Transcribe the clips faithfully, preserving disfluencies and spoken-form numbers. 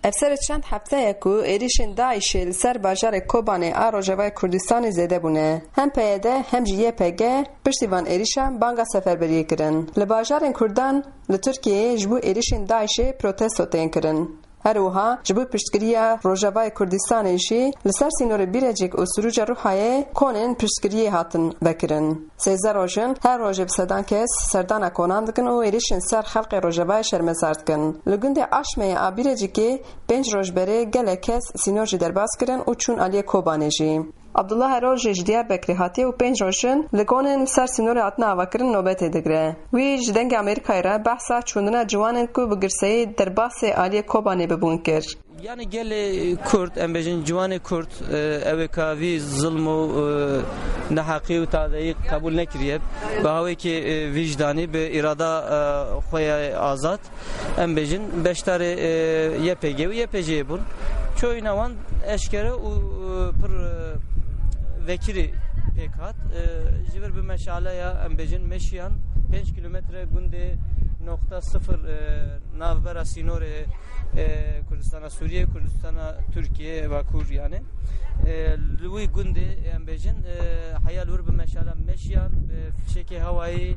Ev serê çend hefteyek ku êrîşên DAIŞê li ser bajarê Kobanê a Rojavayê Kurdistanê zêde bûne. Hem P Y D hem jî Y P G piştî van êrîşan banga seferberiyê kirin. Li bajarên Kurdan li Tirkiyeyê ji bo êrîşên DAIŞê protesto tên kirin. Her wiha ji bo piştgiriya Rojavayê Kurdistanê jî li ser sînorê Bîrecik û Sirûca Rûhayê konên piştgiriyê hatin vekirin. Sêzdeh roj in, her rojê bi sedan kes serdana konan dikin û êrîşên ser xelkê Rojavayê şermezar dikin. Li gundê Aşmeyê a Bîrecikê pênc roj berê gelek kes sînor jî derbas kirin û çûn aliyê Kobanê jî. Abdullah Erol jî ji Diyarbekirê hatiye û pênc roj in li konên li ser sînorê hatine avakirin nobetê digire. Wî ji Dengê Amerîkayê re behsa çûndina ciwanên ku bi girseyî derbasê aliyê Kobanê bibûn kir. Yani gelê Kurd, em bêjin ciwanê Kurd, e, ew ê ka vî zilm û, e, neheqî û tadeyî qebûl nekiriye, bi hawekî, e, vîcdanî, bi îrada, e, xwe ya azad, em bêjin beşdarê, e, Y P G û Y P C'yê bûn. Çoyîna wan eşkere û, e, pir, e, vekirî pêk hat. E, ji vir bi meşaleya, em bêjin, meşiyan pênc kilometre gundê nokta sifir, e, navbera sînorê, e, Kurdistana Sûriyê, Kurdistana Tirkiyê, Bakur yani. E, li wî gundê em bêjin, e, heya li wir bi meşala meşiyan, bi fişekê hewayî,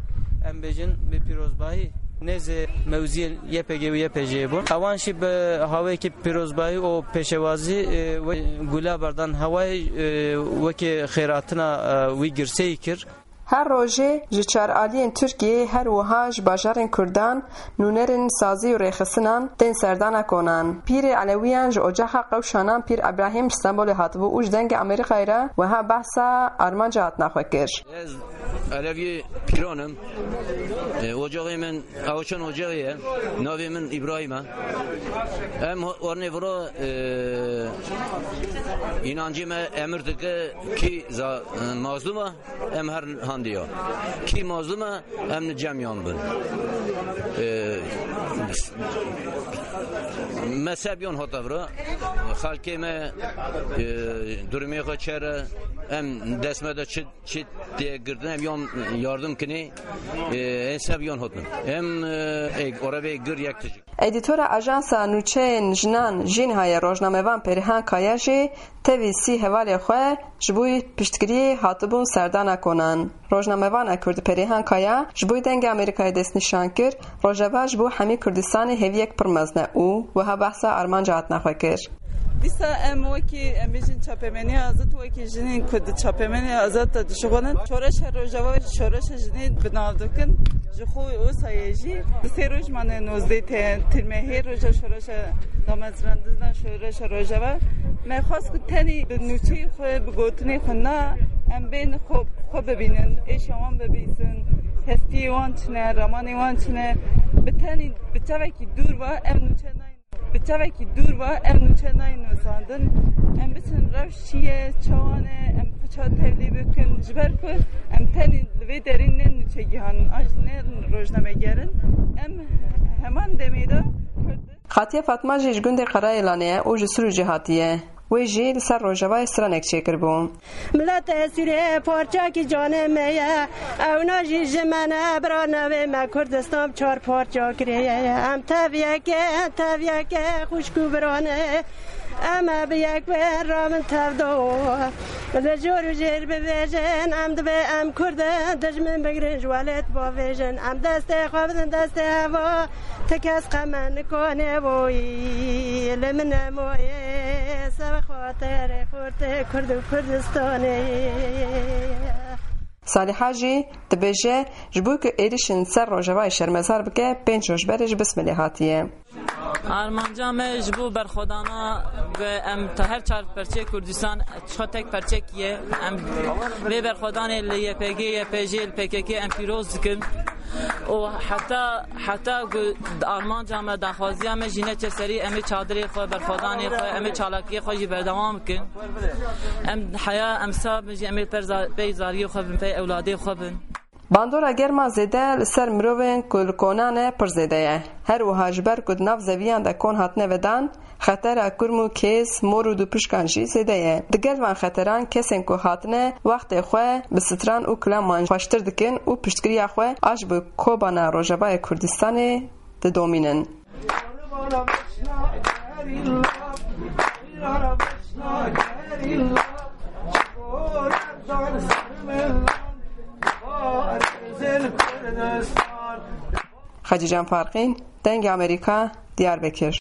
em bêjin, bi pîrozbahî nêzê mewziyên Y P G û Y P C'yê bûn. Ewan jî bi hawayekî pîrozbahî û pêşewazî, e, we gula berdan hewayê, e, wekî xêratina, e, wî girseyî kir. Her rojê ji çar aliyên Tirkiyeyê her wiha ji bajarên Kurdan nûnerên sazî û rêxistinan tên serdana konan. Pîrê Elewiyan ji ocaxa qewşanan Pîr Ebrahîm ji Stenbolê hatibû û ji Dengê Amerîkayê re wiha behsa armanca hatina xwe kir. Ez Eleviyê Pîran im. E, ocaxê min Awçan ocaxê ye. Navê min Îbrahîm e. Em ho-, warnê vira, e, înancê me emir dike kî za-, e, mazlûm e. Em her handiya. Kî mazlum e, em li cem yan bin. Ee, mezheb yan hate vira. Xelkê me, e, durumê xwe çere, em dest me de çi, çi tê girtin, em yan yardım kinê, e, en sev yan hatin. Em, e, ê, orevê gir yek tijik. Edîtora Ajansa Nûçeyên Jinan Jînhayê rojnamevan Perîhan Kaya jî tevî sî hevalê xwe ji bo piştgiriyê hatibûn serdana konan. Rojnamevana Kurd Perîhan Kaya ji bo Dengê Amerîkayê destnîşan kir, Rojava ji bo hemî Kurdistanê hêviyek pir mezin e û wiha behsa armanca hatina xwe kir. Dîsa em wekî, em bêjin çapemeniya azad, wekî jinên ku di çapemeniya azad de dişuxulin, şoreşa Rojava şoreşa jinê bi nav dikin. Ji xwe wisa ye jî. Di sê roj mane nozdeh te-, tirmehê roja şoreşa damezrandina şoreşa Rojava. Me xwest ku tenê bi nûçeyê xwe, bi gotinê xwe na, em bên xwe, xwe bibînin, êşa wan bibîsin, hestiyê wan çine, ramanê wan çine. Bi tenê, bi çavekî dûr ve em nûçe nayên. Bi çavekî dûr ve em nûçe nayên nivîsandin. Em biçin rewş çi ye, çawa ne, em xwe çawa tevlî bikin. Ji ber ku em tenê li vê derê ne nûçegihan in, an jî ne rojnameger in. Em heman demê de Kurd in. Xatiye Fatma jî ji gundê Qerayêlanê ye û ji Sirûcê hatiye. Wê jî li ser Rojavayê stranek çêkiribû. Miletê Sûriyê parçekî canê me ye. Ew najî ji me ne, bira navê me Kurdistan çar parça kiriye. Em tev yek e, tev yek e, xwişk û biran e. Em e bi yek bin, ra min tev do. Li jor û jêr bivêjin, em divê em Kurd in, dijmin bigirin ji welêt bavêjin. Em destê xwe bidin destê heva, ti kes qe me nikane boyî. Li min nemoyê, ser xatirê xurtê Kurd û Kurdistanê. Saliha jî dibêje, ji bo ku êrîşên ser Rojavayê şermezar bike, pênc roj berê ji Bismilê hatiye. Armanca me ji bo berxwedana bi em ta her çar perçeyê Kurdistan, çiqa tek perçek ye. Em vê berxwedanê li Y P G, Y P J, li P K K em pîroz dikin. Û heta, heta ku armanca me, daxwaziya me jî neçe serî, em ê çadirê xwe, berxwedanê xwe, em ê çalakiyê xwe jî berdewam bikin. Em heya emsa bin jî em ê per za-, pey zariyê xwe bin, pey ewladê xwe bin. Bandora germa zêde li ser mirovên ku li konan e pir zêde ye. Her wiha ji ber ku di nav zeviyan de kon hatine vedan, xetera kurm û kêz, mor û dûpişkan jî zêde ye. Digel van xeteran kesên ku hatine wextê xwe bi stran û kilaman xweştir dikin û piştgiriya xwe a ji bo Kobana Rojavayê Kurdistanê didomînin. Xecîcan Farqîn, Dengê Amerîka, Diyarbekir.